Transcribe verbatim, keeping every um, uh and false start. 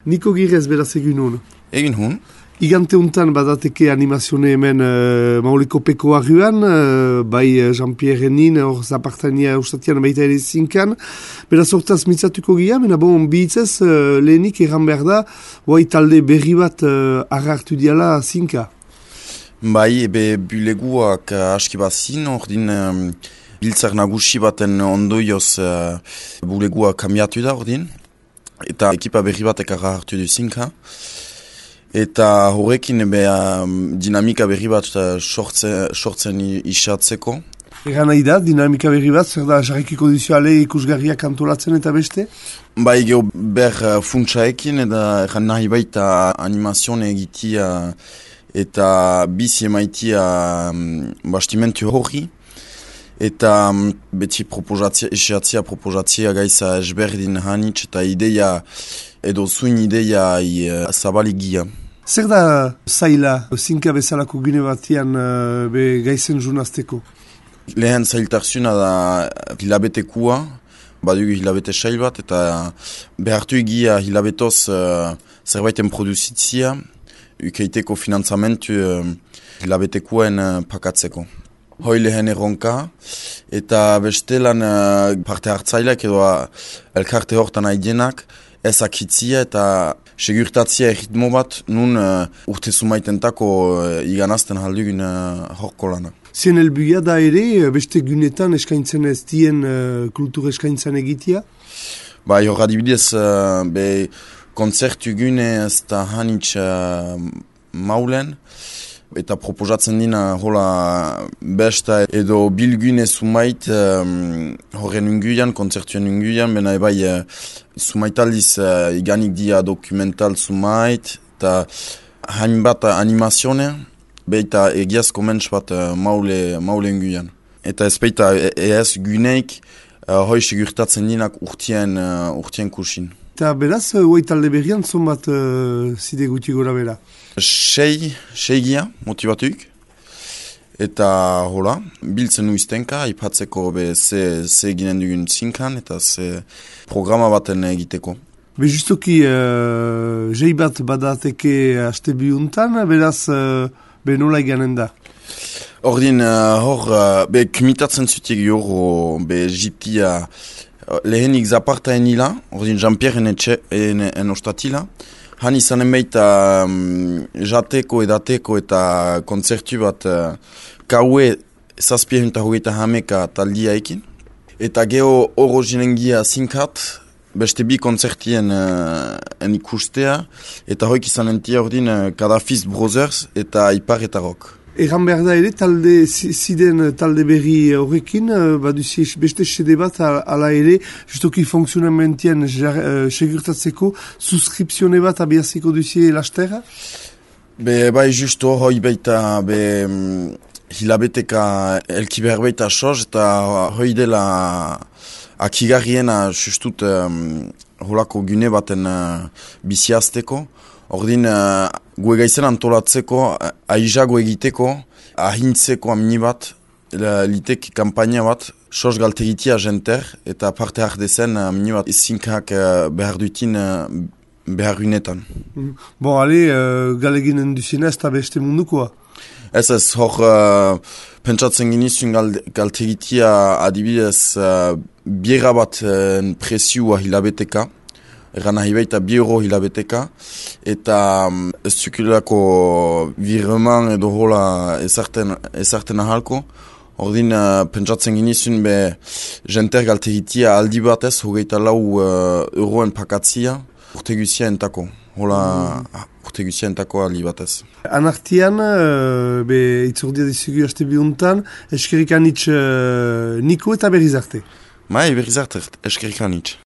Niko Girez beraz egin hon. Egin hon. Igante untan badateke animazione hemen uh, Mauliko Peko arruan, uh, bai uh, Jean-Pierre Nin, hor zapartania ustatian baita ere zinkan. Beraz hortaz mitzatuko gira, mena bon, bihitzez uh, lehenik erran behar da, bai talde berri bat uh, arrartu diala zinka. Bai, ebe buleguak uh, aski bazin, ordin um, biltzar nagusi baten ondoioz uh, bulegua kamiatu da ordin, eta ekipa berri batek arrartu du zinka. Eta horrekin ebe um, dinamika berri bat uh, sortzen, sortzen isatzeko. Egan nahi da, dinamika berri bat, zer da jarrikiko duzioale ikusgarriak antolatzen eta beste? Bai, geho ber uh, funtsaekin eta egan nahi baita animazione egitia eta bizi emaitia um, bastimentu horri. Eta um, beti proposatzia, esiatzia proposatzia gaiza esberdin hanitz eta ideia edo zuin ideia uh, zabaligia. Zer da zaila zinka bezalako gune batian uh, be gaizen junazteko? Lehen zailtarzuna da hilabetekua, badugu hilabete sail bat, eta behartu egia hilabetoz uh, zerbaiten produzitzia, ukeiteko finantzamentu uh, hilabetekuen uh, pakatzeko. Hoi lehen erronka, eta bestelan uh, parte hartzaileak edo uh, elkarte hortan haidienak, ezakitzia eta segurtatzia erritmo bat nun uh, urte sumaitentako uh, iganazten haldugun uh, horko lana. Zien helbuia da ere, beste gunetan eskaintzen ez dien uh, kultur eskaintzen egitea? Ba, hor adibidez, uh, be konzertu gune ez da hanitz uh, maulen, eta proposatzen dina hola besta edo bilgune sumait um, horren unguian, konzertuen unguian, bena ebai uh, sumaitaldiz uh, iganik dia dokumental sumait, eta hainbat animazione, beita egiazko mentz bat uh, maule, maule unguian. Eta ez beita ez guneik uh, hoi segurtatzen dinak urtien, uh, urtien kursin. Eta beraz, hoi talde berrian zon bat uh, zide guti gora bera? Sei, sei gia, motibatuk. Eta hola, biltzen uiztenka, ipatzeko be ze, ze ginen dugun zinkan, eta ze programa baten egiteko. Be justoki, uh, jei bat badateke haste bihuntan, beraz, uh, be nola eganen da? Ordin, uh, hor, uh, be kumitatzen zutik joro, be jitia, uh, lehenik zaparta enila, ordin Jean-Pierre en, en, en ostatila, han izanen baita um, jateko edateko eta kontzertu bat uh, kaue zazpiehunta hogeita hameka taldia ekin. Eta geho oro jinengia zinkat, beste bi kontzertien uh, en ikustea, eta hoik izanen tia ordin uh, Kadafiz Brothers eta Ipar eta Rock. Egan behar da ere, talde, ziden talde berri horrekin, baduzi beste sede bat ala ere, justoki funksionamentien uh, segurtatzeko, suskripzione bat abiaziko duzi lasterra? Be, bai justo hoi baita, be, hilabeteka elki behar baita soz, eta hoi dela akigarriena justut um, holako gune baten uh, biziazteko. Ordin, uh, gue gaizen antolatzeko, uh, aizago egiteko, ahintzeko amini bat, litek kampaina bat, sos galtegitia jenter, eta parte hardezen amini bat zinkak uh, behar dutin uh, behar unetan. Mm. Bon, ale, uh, galeginen duzien ez da beste mundukoa? Ez ez, hor, uh, pentsatzen ginizun gal, galtegitia adibidez uh, biera bat uh, presiua hilabeteka, eran nahi baita bi euro hilabeteka, eta um, ez zukulako virreman edo hola ezarten, ezarten ahalko. Ordin, uh, pentsatzen ginizun be jenter galtegitia aldi batez, hogeita lau uh, euroen pakatzia, urte guzia entako. Hola, mm. urte guzia entako aldi batez. Anartian, uh, be itzordia dizugu haste bihuntan, eskerik anitz uh, Niko eta berriz arte. Mai, berriz arte, eskerik anitz.